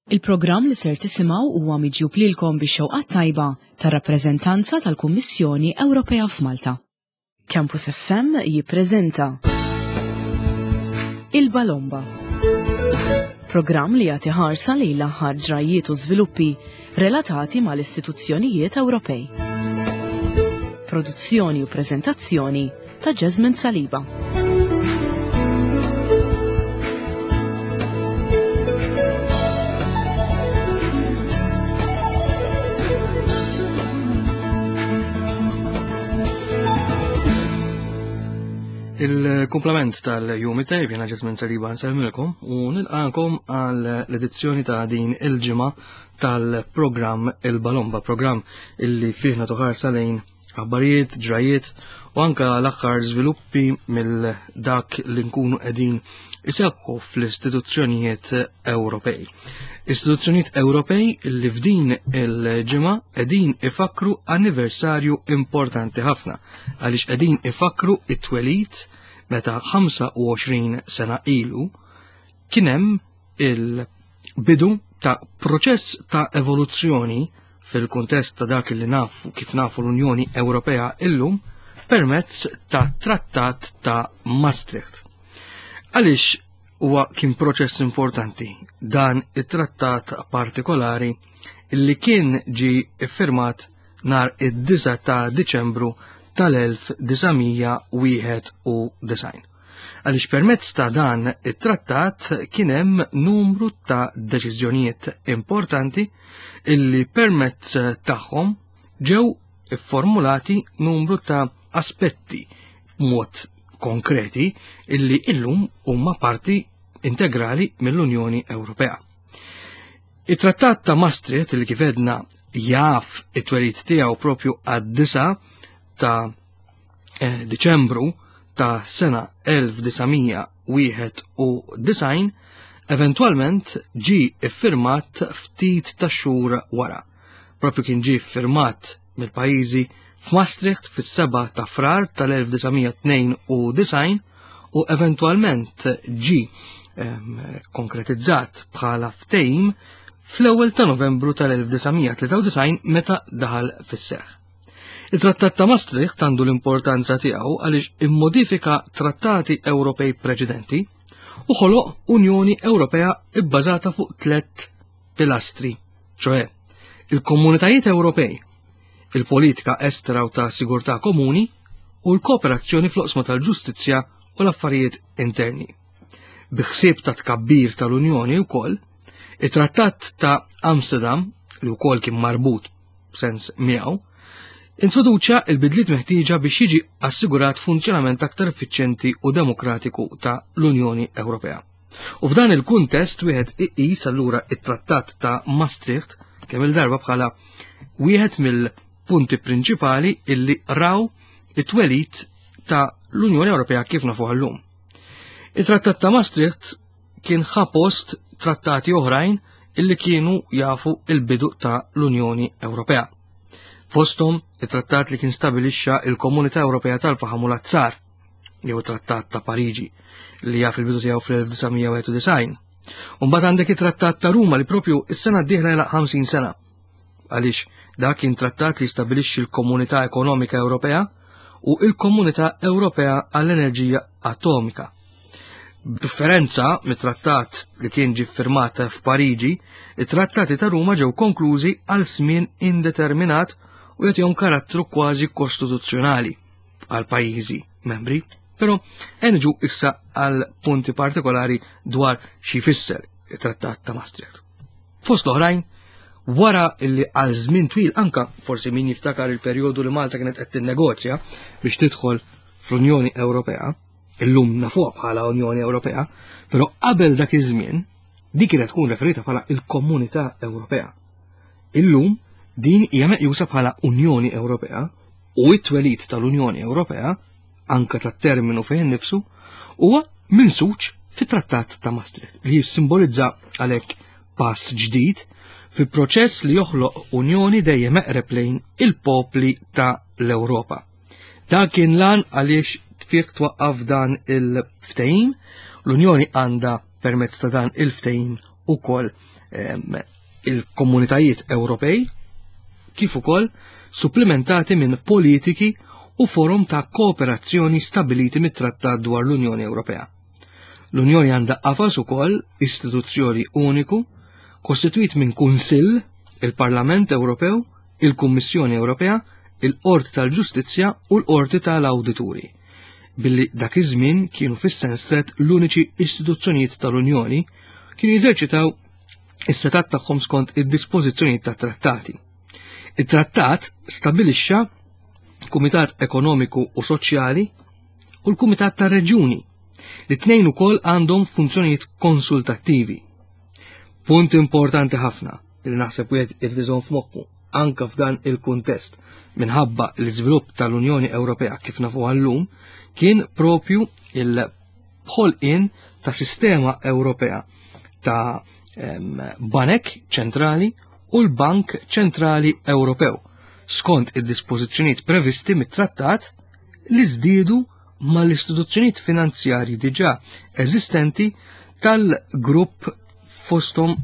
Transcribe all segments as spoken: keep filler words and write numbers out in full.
Il-programm li ser tisimgħu huwa miġjub lilkom bix-xewqa tajba tar-rappreżentanza tal-Kummissjoni Ewropea f'Malta. Campus F M jippreżenta Il-Balomba. Programm li jagħti ħarsa lejn l-aħħar ġrajiet u żviluppi relatati mal-istituzzjonijiet Ewropej. Produzzjoni u preżentazzjoni ta' Jasmine Saliba. Il-komplement tal-jum it-tajb, jena Ġesmin Saliba nsellmilkom u nilqakom għal l-edizzjoni ta' din il-ġimgħa tal-programm Il-Balomba, programm illi fih nagħtu ħarsa lejn aħbarijiet, ġrajiet u anka l-aħħar żviluppi mill dak li nkunu qegħdin iseħħu fl-istituzzjonijiet Ewropej. Istituzzjonijiet Ewropej li f'din il-ġimgħa qegħdin ifakru anniversarju importanti ħafna għaliex qegħdin ifakru it-twelid meta ħamsa u għoxrin sena ilu kien hemm il-bidu ta' proċess ta' evoluzzjoni fil-kuntest ta' dak li nafu kif nafu l-Unjoni Ewropea illum permezz ta' Trattat ta' Maastricht. Għaliex huwa kien proċess importanti dan it-trattat partikolari illi kien ġi iffirmat nar id-disgħa ta' Diċembru tal-elf disa' mija wieħed u disgħin? Għaliex permezz ta' dan it-trattat kien hemm numru ta' deċiżjonijiet importanti illi permezz tagħhom ġew ifformulati numru ta' aspetti mod konkreti illi illum huma parti integrali mill-Unjoni Ewropea. Il-Trattat ta' Maastricht, li kif għedna jaf it-twelid tiegħu propju għad-disgħa ta' eh, Diċembru ta' sena elf disa' mija wieħed u disgħin, eventualment ġi iffirmat ftit ta' xhur wara. Propju kien ġi iffirmat mill-pajjiżi f'Maastricht fis-seba' ta' Frar tal-elf disa' mija tnejn u disgħin u eventualment ġi ehm, konkretizzat bħala ftehim fl-ewwel ta' Novembru tal-elf disa' mija tlieta u disgħin meta daħal fis-seħħ. Il-Trattat ta' Maastricht għandu l-importanza tiegħu għaliex immodifika trattati Ewropej preċedenti u ħoloq Unjoni Ewropea ibbażata fuq tliet pilastri, ċoè il-Komunitajiet Ewropej, il-politika estera u ta' sigurtà komuni u l-kooperazzjoni fl-oqsma tal-ġustizzja u l-affarijiet interni. Bi ħsieb ta' tkabbir tal-Unjoni wkoll, it-Trattat ta' Amsterdam, li wkoll kien marbut b'sens miegħu, introduċa il-bidliet meħtieġa biex jiġi assigurat funzjonament aktar effiċjenti u demokratiku ta' l-Unjoni Ewropea. U f'dan il-kuntest wieħed iqis allura it-Trattat ta' Maastricht kemm il-darba bħala wieħed mill-punti prinċipali illi raw it-twelid ta' l-Unjoni Ewropea kif nafuha llum. Il-Trattat ta' Maastricht kien ħa post trattati oħrajn illi kienu jafu il-bidu ta' l-Unjoni Ewropea. Fostom it-trattat li kien stabilixxa il-Komunità Ewropea tal-Faħam u l-Azzar, jew Trattat ta' Pariġi, li jaf il-bidu tiegħu fl-elf disa' mija wieħed u disgħin. Umbagħad għandek it-Trattat ta' Ruma li propju is-sena d-dieħla jagħlaq ħamsin sena. Għaliex dak kien trattat li stabilixxi l-Komunità Ekonomika Ewropea u il-Komunità Ewropea għall-Enerġija Atomika. B'differenza mit-trattat li kien ġi firmat f'Pariġi, it-trattati ta' Ruma ġew konklużi għal żmien indeterminat u jagħtihom karattru kważi kostituzzjonali għal pajjiżi membri. Però niġu issa għal punti partikolari dwar xi jfisser it-Trattat ta' Maastricht. Fost l-oħrajn, wara illi għal żmien twil, anka forsi min jiftakar il-perjodu li Malta kienet qed tinnegozja biex tidħol fl-Unjoni Ewropea, illum nafuha bħala Unjoni Ewropea, però qabel dak iż-żmien di kienet tkun referita bħala il-Komunità Ewropea. Illum din hija meqjusa bħala Unjoni Ewropea u it-twelid tal-Unjoni Ewropea, anka tat-terminu fejn nifsu, huwa minsuġ fit-Trattat ta' Maastricht li jissimbolizza għalhekk pass ġdid fi proċess li joħloq Unjoni dejjem eqreb lejn il-popli ta' l-Ewropa. Dan kien l-għan għaliex fih twaqqaf dan il-ftehim, l-Unjoni għandha permezz ta' dan il-ftehim ukoll il-komunitajiet Ewropej, kif ukoll supplimentati minn politiki u forum ta' kooperazzjoni stabiliti mit-Trattat dwar l-Unjoni Ewropea. L-Unjoni għandha qafas ukoll istituzzjoni uniku kostitwit minn Kunsill, il-Parlament Ewropew, il-Kummissjoni Ewropea, il-Qorti tal-Ġustizzja u l-Qorti tal-Awdituri. Billi dak iż-żmien kienu fis-sens strett l-uniċi istituzzjonijiet tal-Unjoni kienu jeżerċitaw is-setat tagħhom skont id-dispożizzjonijiet tat-trattati. It-trattat stabilixxa Kumitat Ekonomiku u Soċjali u l-Kumitat tar-Reġjuni li tnejn ukoll għandhom funzjonijiet konsultattivi. Punt importanti ħafna li naħseb wieħed irid iżomm f'moħħu anka f'dan il-kuntest minħabba l-iżvilupp tal-Unjoni Ewropea kif nafuha llum kien propju il-ħolqien ta' sistema Ewropea ta' banek ċentrali u l-Bank Ċentrali Ewropew skont id-dispożizzjonijiet previsti mit-trattat li żdiedu mal-istituzzjonijiet finanzjarji diġà eżistenti tal-grupp fosthom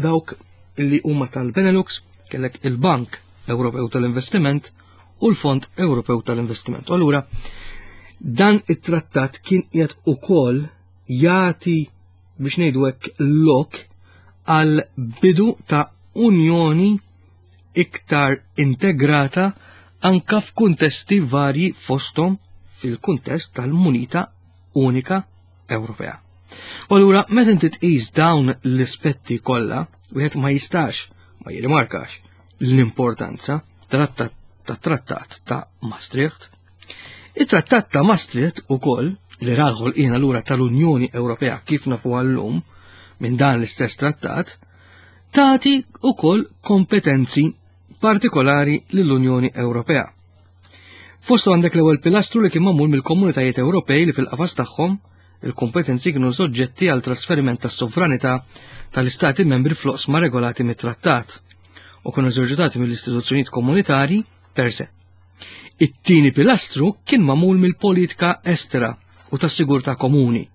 dawk li huma tal-Benelux, kellek il-Bank Ewropew tal-Investiment u l-Fond Ewropew tal-Investiment. U allura dan it-trattat kien qiegħed ukoll jagħti biex ngħidu hekk lok għal bidu ta' unjoni iktar integrata anka f'kuntesti varji fosthom fil-kuntest tal-munita unika Ewropea. U allura meta inti tqis dawn l-aspetti kollha, wieħed ma jistax ma jirrimarkax l-importanza tat-trattat ta' Maastricht. Il-trattat ta' Maastricht ukoll li ra l-ħolqien allura tal-Unjoni Ewropea kif nafu llum minn dan l-istess trattat, tagħti ukoll kompetenzi partikolari lill-Unjoni Ewropea. Fostu għandek l-ewwel pilastru li kien magħmul mill-komunitajiet Ewropej li fil-qafas tagħhom il-kompetenzi kienu soġġetti għal trasferiment tas-sovranità tal-istati membri fl-oqsma regolati mit-trattat u kienu eżerċitati mill-istituzzjonijiet komunitarji per se. It-tieni pilastru kien magħmul mill-politika estera u tas-sigurtà komuni.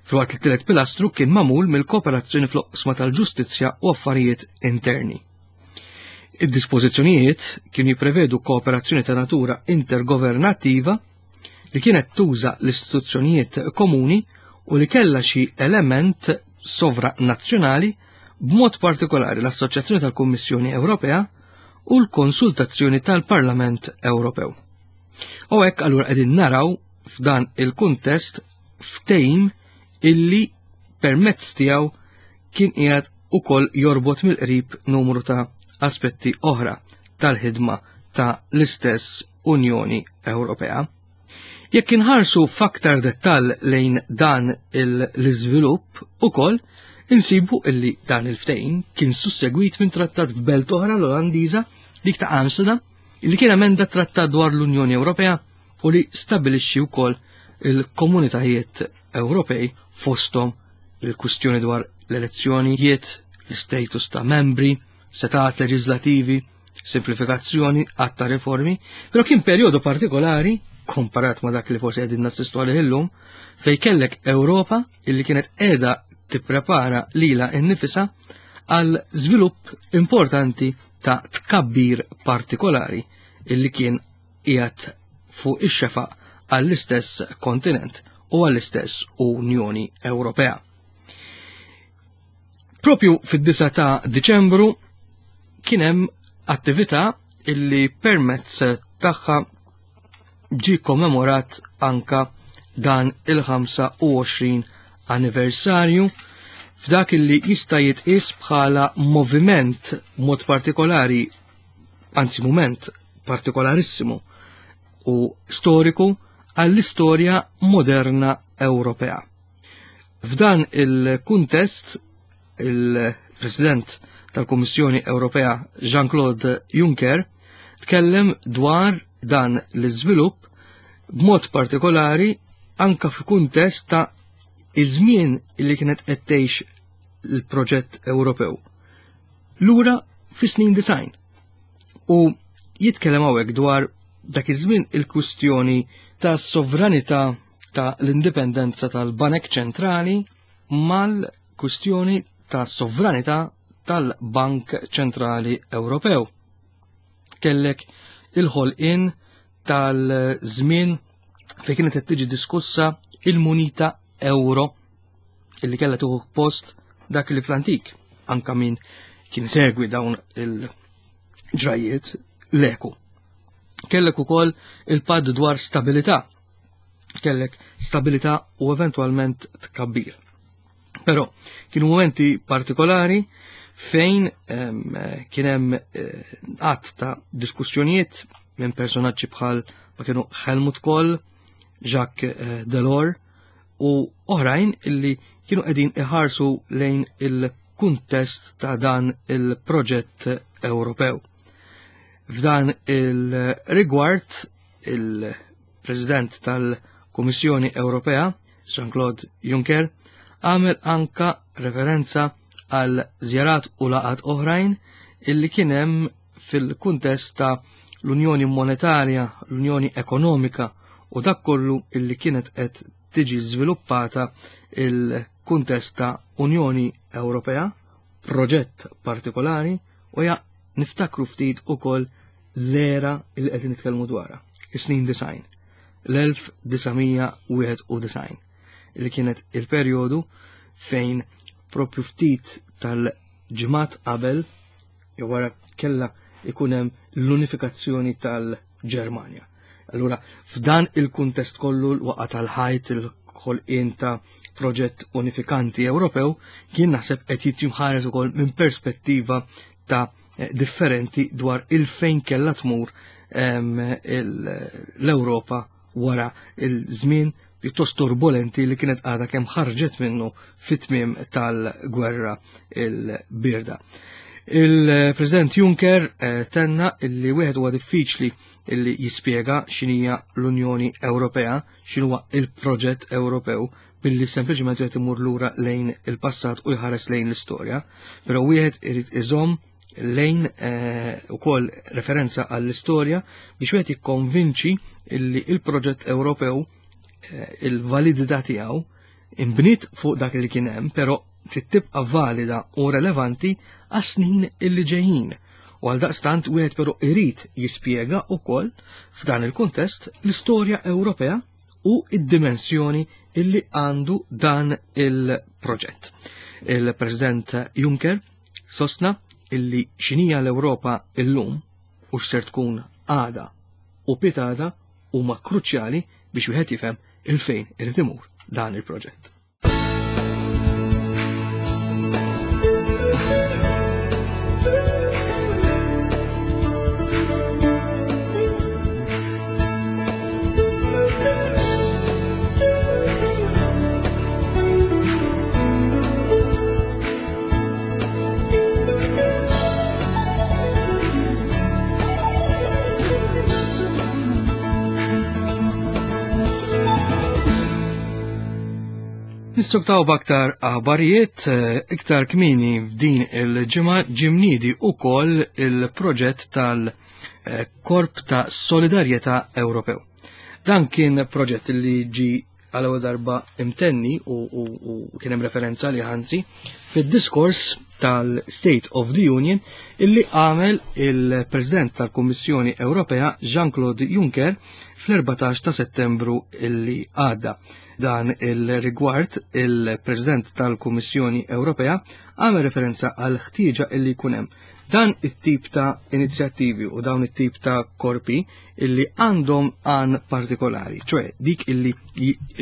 Filwaqt li t-tielet pilastru kien magħmul mill-kooperazzjoni fl-oqsma tal-ġustizzja u affarijiet interni. Id-dispożizzjonijiet kienu jipprevedu kooperazzjoni ta' natura intergovernattiva li kienet tuża l-istituzzjonijiet komuni u li kellha xi element sovranazzjonali b'mod partikolari l-Assoċjazzjoni tal-Kummissjoni Ewropea u l-konsultazzjoni tal-Parlament Ewropew. U hekk allura qegħdin naraw f'dan il-kuntest ftehim illi permezz tiegħu kien qiegħed ukoll jorbot mill-qrib numru ta' aspetti oħra tal-ħidma ta' l-istess Unjoni Ewropea. Jekk inħarsu f'aktar dettall lejn dan l-iżvilupp ukoll, insibu illi dan il-ftehim kien sussegwit minn trattat f'belt oħra l-Olandiża, dik ta' Amsterdam, illi kien emenda trattat dwar l-Unjoni Ewropea u li stabilixxi wkoll il-komunitajiet Ewropej fosthom il-kwistjoni dwar l-elezzjonijiet, l-status ta' membri, setat leġislativi, simplifikazzjoni, għadd ta' riformi, però kien perjodu partikolari komparat ma' dak li forsi qegħdin nassistu għalih illum, fej kellek Ewropa illi kienet qiegħda tipprepara lilha innifisha għal żvilupp importanti ta' tkabbir partikolari illi kien qiegħed fuq ix-xefaq għall-istess kontinent u għall-istess Unjoni Ewropea. Propju fid-disgħa ta' Diċembru kien hemm attività illi permezz tagħha ġie kommemorat anka dan il-ħamsa u għoxrin anniversarju f'dak illi jista' jitqies bħala moviment mod partikolari, anzi moment partikolarissimu u storiku għall-istorja moderna Ewropea. F'dan il-kuntest, il-President tal-Kummissjoni Ewropea Jean-Claude Juncker tkellem dwar dan l-iżvilupp b'mod partikolari anka f'kuntest ta' iż-żmien li kienet qed tgħix l-proġett Ewropew. Lura fis-snin design. U jitkellem hawnhekk dwar dak iż-żmien il-kwistjoni ta' sovranità ta' l-indipendenza tal-Banek Ċentrali mal-kwistjoni ta' sovranità tal-Bank Ċentrali Ewropew. Kellek il-ħolqien tal-żmien fejn kienet qed tiġi diskussa il-munita euro illi kellha tieħu post dak li fl-antik anka min kien segwi dawn il-ġrajiet l-eku. Kellek ukoll il-patt dwar stabilità. Kellek stabilità u eventwalment tkabbir. Però kienu momenti partikolari fejn kien hemm għadd ta' diskussjonijiet minn personaġġi bħal ma kienu Helmut Kohl, Jacques Delors u oħrajn illi kienu qegħdin iħarsu lejn il-kuntest ta' dan il-proġett Ewropew. F'dan il-rigward, il-President tal-Kummissjoni Ewropea, Jean-Claude Juncker, għamel anka referenza għal żjarat u laqat oħrajn illi kien hemm fil-kuntest ta' l-Unjoni Monetarja, l-Unjoni Ekonomika u dak kollu illi kienet qed tiġi żviluppata il-kuntest ta' Unjoni Ewropea, proġett partikolari, u ja niftakru ftit ukoll l-era illi qed nitkellmu dwarha, is-snin design, l-elf disa' wieħed u design, illi kienet il-perjodu fejn propju ftit tal-ġimgħat qabel jew wara kellha ikun hemm l-unifikazzjoni tal-Ġermanja. Allura, f'dan il-kuntest kollu l-waqa tal-ħajt, il-ħolqien ta' proġett unifikanti Ewropew, kien naħseb qed jitjimħares ukoll minn perspettiva ta' differenti dwar il-fejn kellha tmur, em, il-, l-Ewropa wara il-żmien pjuttost turbolenti li kienet għadha kemm ħarġet minnu fit-tmiem tal-gwerra il-birda. Il-President Juncker, eh, tenna illi wieħed huwa diffiċli illi jispjega x'inhija l-Unjoni Ewropea, x'inhuwa il-proġett Ewropew, billi sempliċement wieħed imur lura lejn il-passat u jħares lejn l-istorja, però wieħed irid iżomm lejn, eh, ukoll referenza għall-istorja biex wieħed jikkonvinċi illi il-proġett Ewropew, eh, il-validità tiegħu imbniet fuq dak li kien hemm, però trid tibqa' valida u relevanti għas-snin illi ġejjin. U għal daqstant wieħed però irid jispjega wkoll f'dan il-kuntest l-istorja Ewropea u id-dimensjoni illi għandu dan il-proġett. Il-President Juncker sostna illi x'inhija l-Ewropa illum u x'ser tkun għada u pitada huma kruċjali biex wieħed jifhem il-fejn irid imur dan il-proġett. Nistoktaw b'aktar aħbarijiet, eh, iktar kmieni f'din il-ġimgħa ġimnidi ukoll il-proġett tal-Korp ta' Solidarjetà Ewropew. Dan kien proġett li ġi għal ewwel darba imtenni u, u, u kien hemm referenza li ħansi fid-diskors tal-State of the Union illi għamel il-President tal-Kummissjoni Ewropea Jean-Claude Juncker fl-erbatax ta' Settembru illi għadda. Dan il-rigward il-President tal-Kummissjoni Ewropea għamel referenza għal ħtieġa illi jkun hemm dan it-tip ta' inizjattivi u dawn it-tip ta' korpi illi għandhom għan partikolari, ċoħe dik illi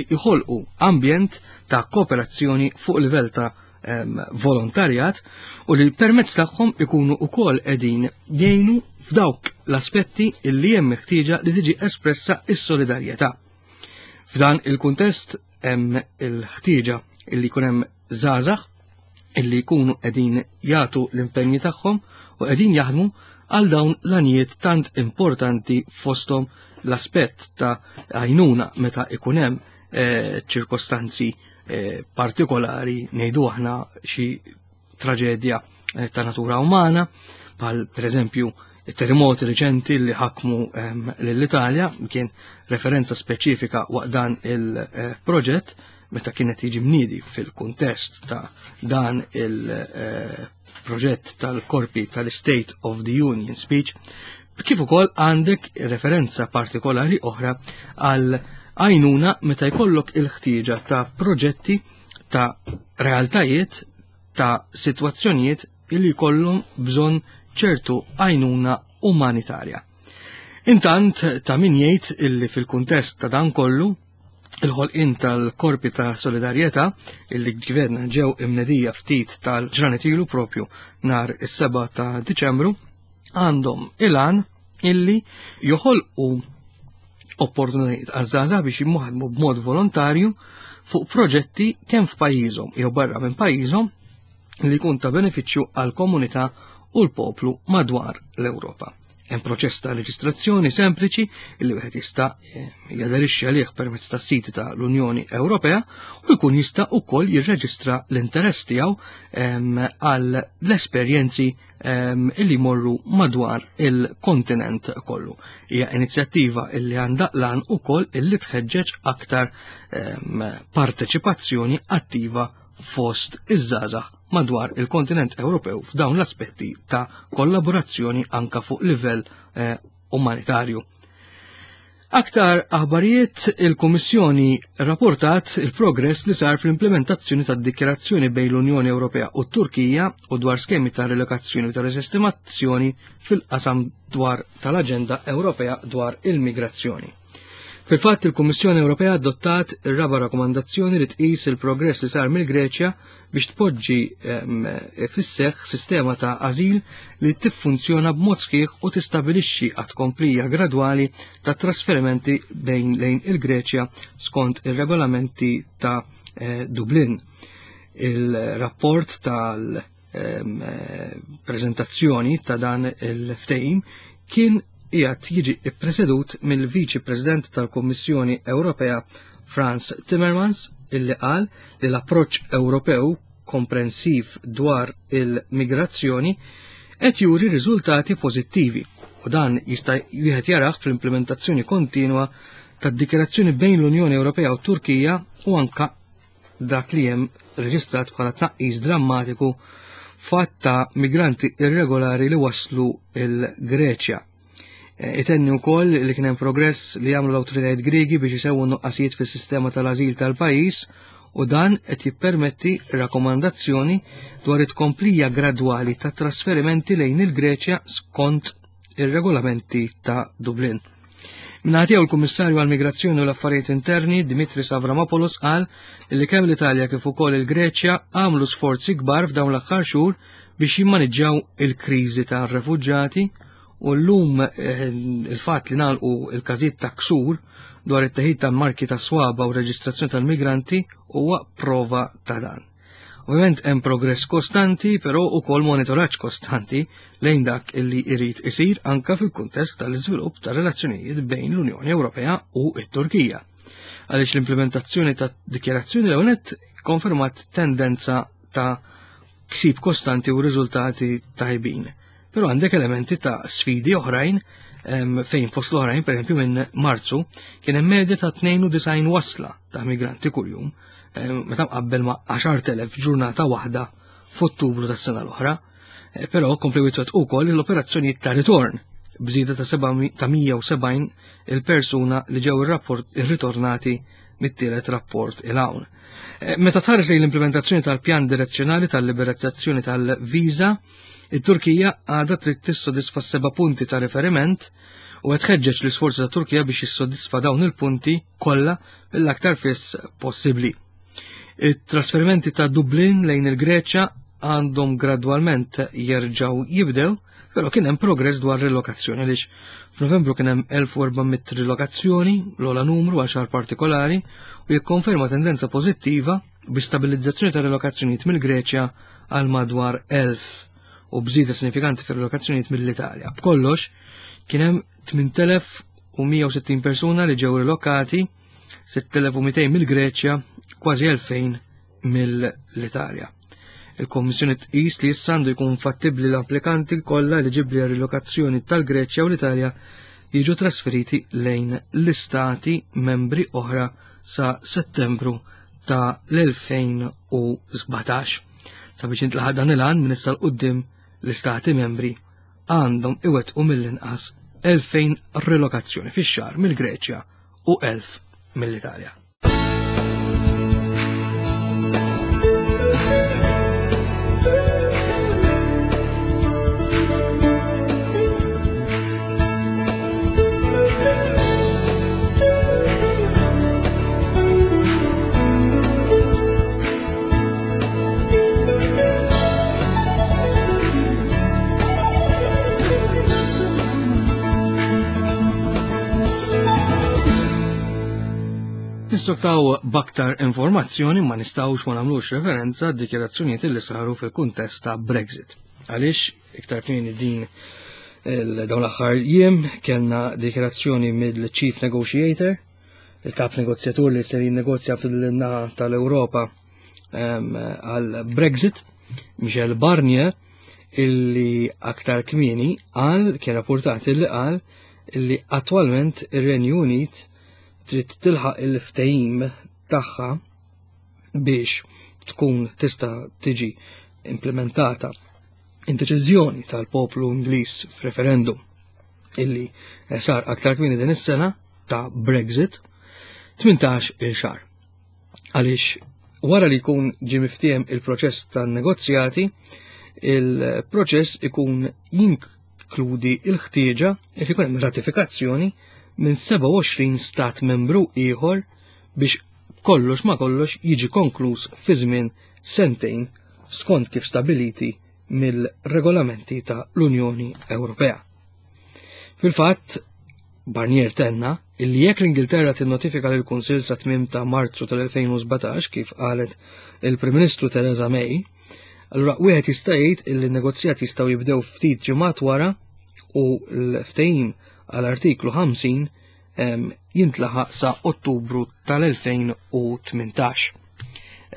jħolqu ambjent ta' kooperazzjoni fuq livell ta' em, volontarjat u li permezz tagħhom ikunu wkoll qegħdin jgħinu f'dawk l-aspetti illi hemm meħtieġa li tiġi espressa s-solidarjetà. F'dan il-kuntest hemm il-ħtieġa illi jkun hemm żgħażagħ illi jkunu qegħdin jagħtu l-impenji tagħhom u qegħdin jaħdmu għal dawn l-għanijiet tant importanti fosthom l-aspett ta' għajnuna meta ikun hemm, eh, ċirkostanzi, eh, partikolari, ngħidu aħna xi traġedja, eh, ta' natura umana, bħal pereżempju terremoti reċenti li ħakmu, ehm, lill-Italja, kien referenza speċifika waqt dan il-proġett meta kienet jiġi mniedi fil-kuntest ta' dan il-proġett tal-korpi tal-State of the Union Speech, kif ukoll għandek referenza partikolari oħra għal għajnuna meta jkollok il-ħtieġa ta' proġetti ta' realtajiet ta' sitwazzjonijiet illi jkollhom bżonn ċertu għajnuna umanitarja. Intant ta' min jgħid illi fil-kuntest ta' dan kollu il-ħolqien tal-korpi ta' solidarjetà illi gverna ġew imnedija ftit tal-ġranet ilu propju nhar is-seba' ta' Diċembru għandhom il-għan illi joħolqu opportunitajiet għaż-żgħażagħ biex jimmuħadmu b'mod volontarju fuq proġetti kemm f'pajjiżhom jew barra minn pajjiżhom li jkun ta' benefiċċju għall-komunità u l-poplu madwar l-Ewropa. Hemm proċess ta' reġistrazzjoni sempliċi li wieħed jista' jaderixxi għalih permezz tas-siti ta' l-Unjoni Ewropea u jkun jista' wkoll jirreġistra l-interess tiegħu għal l-esperjenzi illi jmorru madwar il-kontinent kollu. Hija inizjattiva illi għandha lan ukoll illi tħeġġeġ aktar parteċipazzjoni attiva fost iż-żgħażagħ madwar il-kontinent Ewropew f'dawn l-aspetti ta' kollaborazzjoni anka fuq livell eh, umanitarju. Aktar aħbarijiet, il-Kummissjoni rapportat il-progress li sar fl-implementazzjoni tad-dikjarazzjoni bejn l-Unjoni Ewropea u t-Turkija u dwar skemi ta' relokazzjoni u ta' resestimazzjoni fil-qasam dwar tal-Aġenda Ewropea dwar il-migrazzjoni. Fil-fatt, il-Kummissjoni Ewropea adottat ir-raba' rakkomandazzjoni li tqis il-progress li sar mill-Greċja biex tpoġġi fis-seħħ sistema ta' ażil li tiffunzjona b'mod sħiħ u tistabilixxi għat komplija gradwali ta' trasferimenti bejn lejn il-Greċja skont ir-regolamenti ta' Dublin. Il-rapport tal-preżentazzjoni ta' dan il-ftehim kien qiegħed jiġi ppresedut mill-Viċi President tal-Kummissjoni Ewropea Frans Timmermans, illi qal li l-approċċ Ewropew komprensiv dwar il-migrazzjoni qed juri riżultati pożittivi u dan jista' wieħed jarah fl-implementazzjoni kontinwa tad-dikjarazzjoni bejn l-Unjoni Ewropea u Turkija u anka dak li hemm reġistrat bħala tnaqqis drammatiku fatt ta' migranti irregolari li waslu il-Greċja. Itenni wkoll li kien hemm progress li jagħmlu l-awtoritajiet Griegi biex isewwu nuqqasijiet fis-sistema tal-ażil tal-pajjiż u dan qed jippermetti rakkomandazzjoni dwar it-tkomplija gradwali ta' trasferimenti lejn il-Greċja skont ir-regolamenti ta' Dublin. Mingħata tiegħu l-Kummissarju għall-Migrazzjoni u l-Affarijiet Interni Dimitris Avramopoulos qal li kemm l-Italja kif ukoll il-Greċja għamlu sforzi kbar f'dawn l-aħħar xhur biex jimmaniġġjaw il-kriżi tar-refuġġati u llum il-fatt li nagħlqu il-każijiet ta' ksur dwar it-teħid ta' marki ta' swaba u reġistrazzjoni tal-migranti huwa prova ta' dan. Ovvjament hemm progress kostanti, però ukoll monitoraġġ kostanti lejn dak illi jrid isir anka fil-kuntest tal-iżvilupp ta' relazzjonijiet bejn l-Unjoni Ewropea u t-Turkija. Għaliex l-implementazzjoni ta' dikjarazzjoni l-ewwel konfermat tendenza ta' ksib kostanti u riżultati tajbin. Però għandek elementi ta' sfidi oħrajn fejn fost l-oħrajn, per esempio minn Marzu, kien hemm medja ta' tnejn u disgħin wasla ta' migranti kuljum, meta mqabbel ma' għaxart elef ġurnata waħda f'Ottubru tas-sena l-oħra. Però komplew jitwettqu wkoll l-operazzjonijiet ta' ritorn b'żieda ta' seba' ta' mija u sebgħin il-persuna li ġew irritornati mit-tielet rapport il hawn. Meta tħares lejn l-implementazzjoni tal-pjan direzzjonali tal-liberalizzazzjoni tal-viża, it-Turkija għadha trid tissodisfa seba' punti ta' riferiment u qed tħeġġeġ l-isforzi ta' Turkija biex jissodisfa dawn il-punti kollha mill-aktar fis possibbli. It-trasferimenti ta' Dublin lejn il-Greċja għandhom gradwalment jerġgħu jibdew, però kien hemm progress dwar rilokazzjoni għaliex f'Novembru kien hemm elf u erba' mitt rilokazzjoni, l-ogħla numru għal xahar partikolari, u jikkonferma tendenza pożittiva bi stabilizzazzjoni ta' rilokazzjonijiet mill-Greċja għal madwar elf u bżieda sinifikanti fir-rilokazzjonijiet mill-Italja. B'kollox kien hemm tmien elef u mija u sittin persuna li ġew rilokati, sitt elef u mitejn mill-Greċja, kważi elfejn mill-Italja. Il-Kommissjoni tqis li issa għandu jkun fattibbli l-applikanti kollha eliġibbli għal rilokazzjoni tal-Greċja u l-Italja jiġu trasferiti lejn l-istati membri oħra sa Settembru ta' l-elfejn u sbatax. Sabiex intlaħaq dan il-għan minn issa 'l quddiem l-istati membri għandhom iwettqu mill-inqas elfejn relokazzjoni fix-xahar mill-Greċja u elf mill-Italja. Nistoktaw b'aktar informazzjoni ma nistgħux ma nagħmlux referenza għad-dikjarazzjonijiet li saru fil-kuntest ta' Brexit. Għaliex iktar kmieni din il-, dawn l-aħħar jiem kellna dikjarazzjoni mill-Chief Negotiator, il-kap negozjatur li ser jinnegozja fil-naħa tal-Ewropa, em, għal Brexit, Michel Barnier, illi aktar kmieni qal, kien rapportat illi qal illi attwalment ir-Renju Unit trid tilħaq il-ftehim tagħha biex tkun tista' tiġi implementata id-deċiżjoni tal-poplu Ingliż f'referendum illi sar aktar kmieni din is-sena ta' Brexit tmintax il xahar. Għaliex wara li jkun ġie miftiehem il-proċess tan-negozjati, il-proċess ikun jinkludi l-ħtieġa li jkun hemm ratifikazzjoni minn sebgħa u għoxrin stat membru ieħor biex kollox ma kollox jiġi konkluż fi żmien sentejn skont kif stabiliti mill-regolamenti ta' l-Unjoni Ewropea. Fil-fatt, Barnier tenna illi jekk l-Ingilterra tinnotifika lill Kunsill sa tmiem ta' Marzu tal-elfejn u sbatax kif qalet il-Prim Ministru Theresa May, allura wieħed jista' jgħid illi n-negozjati jistgħu jibdew ftit ġimgħat wara u l-ftehim għall-artiklu ħamsin, em, jintlaħaq sa Ottubru tal-elfejn u tmintax.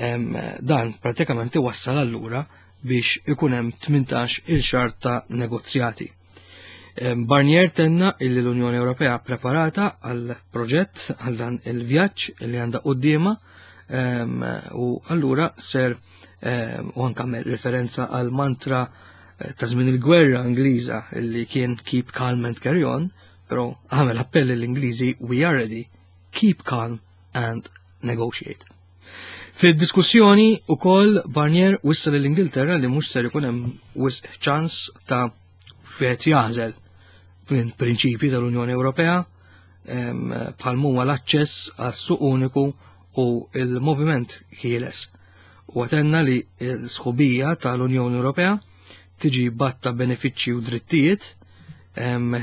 Em, dan pratikament iwassal allura biex ikun hemm tmintax il xahar ta' negozjati. Em, Barnier tenna illi l-Unjoni Ewropea preparata għal proġett għal dan il-vjaġġ li għandha quddiemha, em, u allura ser, em, u anke għamel referenza għal mantra, eh, ta' żmien il-gwerra Ingliża illi kien keep calm and carry on, però għamel appell lill-Ingliżi we are ready, keep calm and negotiate. Fid-diskussjoni ukoll Barnier wissa lill-Ingilterra li mhux ser ikun hemm wisq ċans ta' wieħed jażel minn prinċipji tal-Unjoni Ewropea, em, bħal huma l-aċċess għas-suq uniku u l-moviment ħieles. U għatenna li l-sħubija tal-Unjoni Ewropea tiġi batta benefiċċji u drittijiet, em,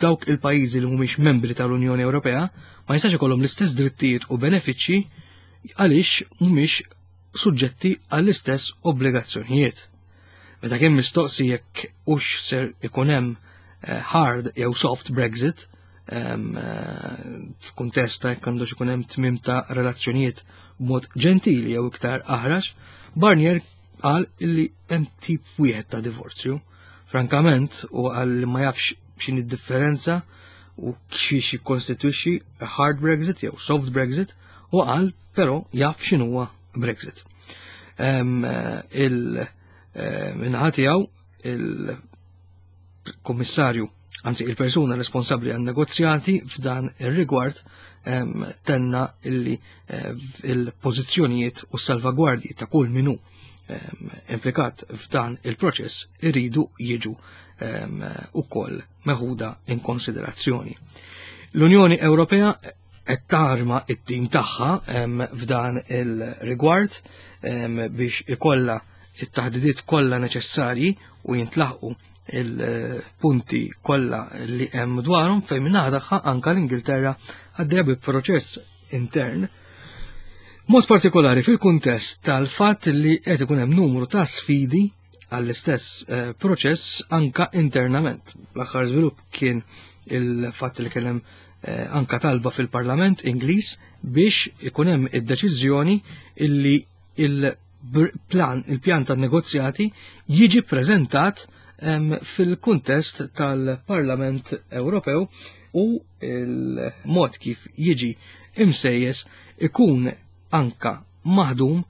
dawk il-pajjiżi li mhumiex membri tal-Unjoni Ewropea ma jistax ikollhom l-istess drittijiet u benefiċċji għaliex mhumiex suġġetti għall-istess obbligazzjonijiet. Meta kien mistoqsi jekk hux ser ikun hemm, eh, hard jew soft Brexit, em, eh, f'kuntest ta' jekk għandux ikun hemm tmiem ta' relazzjonijiet b'mod ġentili jew iktar aħrax, Barnier qal illi hemm tip wieħed ta' divorzju. Frankament, u qal li ma jafx x'inhi d-differenza u x'hiex jikkostitwixxi hard Brexit jew soft Brexit, u qal però jaf x'inhuwa Brexit. Em, il-, eh, Min-naħa tiegħu il-kummissarju, anzi il-persuna responsabbli għan negozjati f'dan ir-rigward, em, tenna illi, eh, il-pożizzjonijiet u s-salvagwardji ta' kull minu, em, implikat f'dan il-proċess iridu jiġu, em, ukoll meħuda in konsiderazzjoni. L-Unjoni Ewropea qed tarma it-tim tagħha, em, f'dan il-rigward, em, biex ikollha it-taħdidiet kollha neċessarji u jintlaħqu il-punti kollha li hemm dwarhom fejn minn tagħha anke l-Ingilterra għaddejja bi proċess intern. Mod partikolari fil-kuntest tal-fatt li qed ikun hemm numru ta' sfidi għall-istess, eh, proċess anka internament. L-aħħar żvilupp kien il-fatt li kien hemm, eh, anka talba fil-Parlament Ingliż biex ikun hemm id-deċiżjoni illi il-plan, il-pjan tan-negozjati jiġi ppreżentat, em, fil-kuntest tal-Parlament Ewropew u il-mod kif jiġi imsejjes ikun anka maħdum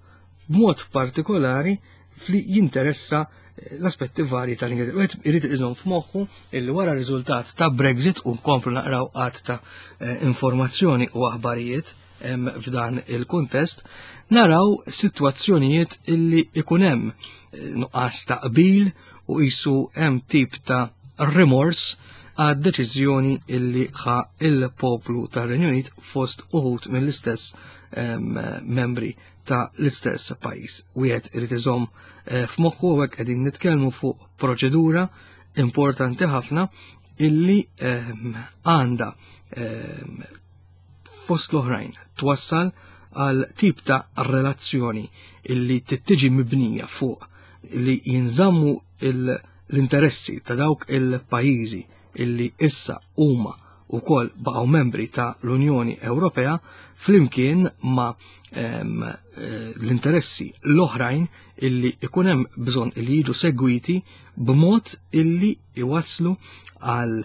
b'mod partikolari fli jinteressa eh, l-aspetti varji tal-Ingilterra. Wieħed irid iżomm f'moħħu illi wara riżultat ta' Brexit u nkomplu naqraw qatt ta' eh, informazzjoni u aħbarijiet f'dan il-kuntest, naraw sitwazzjonijiet illi ikun hemm eh, nuqqas ta' qbil u qisu hemm tip ta' rimors għad deċiżjoni illi ħa il-poplu tar-Renju Unit fost uħud mill-istess membri ta' l-istess pajjiż. Wieħed irid iżomm eh, f'moħħu hekk qegħdin nitkellmu fuq proċedura importanti ħafna illi għandha fost l-oħrajn twassal għal tip ta' relazzjoni illi tittiġi mibnija fuq li jinżammu l-interessi ta' dawk il-pajjiżi illi issa huma wkoll baqgħu membri ta' l-Unjoni Ewropea flimkien ma' eh, l-interessi l-oħrajn illi ikun hemm bżonn illi jiġu segwiti b'mod illi iwasslu għal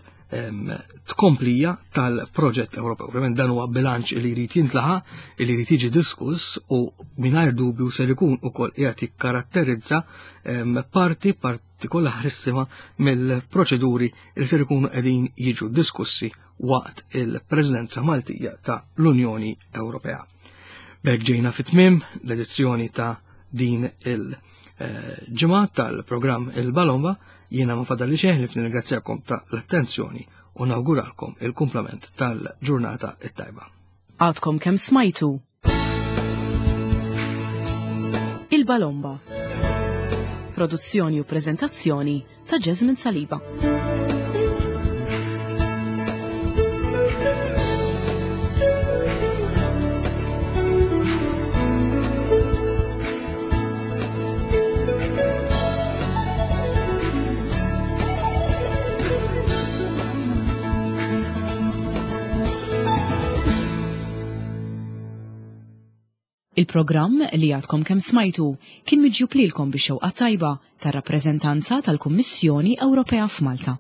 tkomplija tal-proġett Ewropew. Ovvjament dan huwa bilanċ li jrid jintlaħaq, li jrid jiġi diskuss u mingħajr dubju ser ikun ukoll qiegħed jikkaratterizza parti partikolarissima mill-proċeduri li ser ikunu qegħdin jiġu diskussi waqt il-Presidenza Maltija ta' l-Unjoni Ewropea. B'hekk ġejna fit-tmiem l-edizzjoni ta' din il-ġimgħa tal-programm Il-Balomba. Jiena ma fadalli xejn li nirringrazzjakom ta' l-attenzjoni u nawguralkom il-kumplament tal-ġurnata it-tajba. Għadkom kemm smajtu Il-Balomba. Produzzjoni u prezentazzjoni ta' Jasmine Saliba. Il-programm li għadkom kemm smajtu kien miġjub lilkom bix-xewqa tajba tar-rappreżentanza tal-Kummissjoni Ewropea f'Malta.